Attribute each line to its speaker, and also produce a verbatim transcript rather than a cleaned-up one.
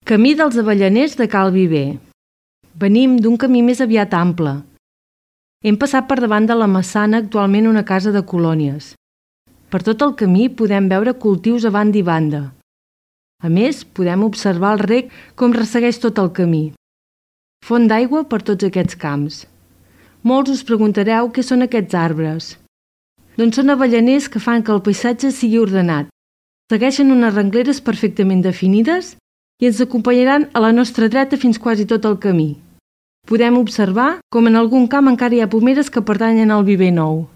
Speaker 1: Camí dels Avellaners de Cal Viver. Venim d'un camí més aviat ample. Hem passat per davant de la Massana, actualment una casa de colònies. Per tot el camí podem veure cultius a banda i banda. A més, podem observar el rec com ressegueix tot el camí. Font d'aigua per tots aquests camps. Molts us preguntareu què són aquests arbres. Doncs són avellaners que fan que el paisatge sigui ordenat. Segueixen unes rengleres perfectament definides i ens acompanyaran a la nostra dreta fins quasi tot el camí. Podem observar com en algun camp encara hi ha pomeres que pertanyen al viver nou.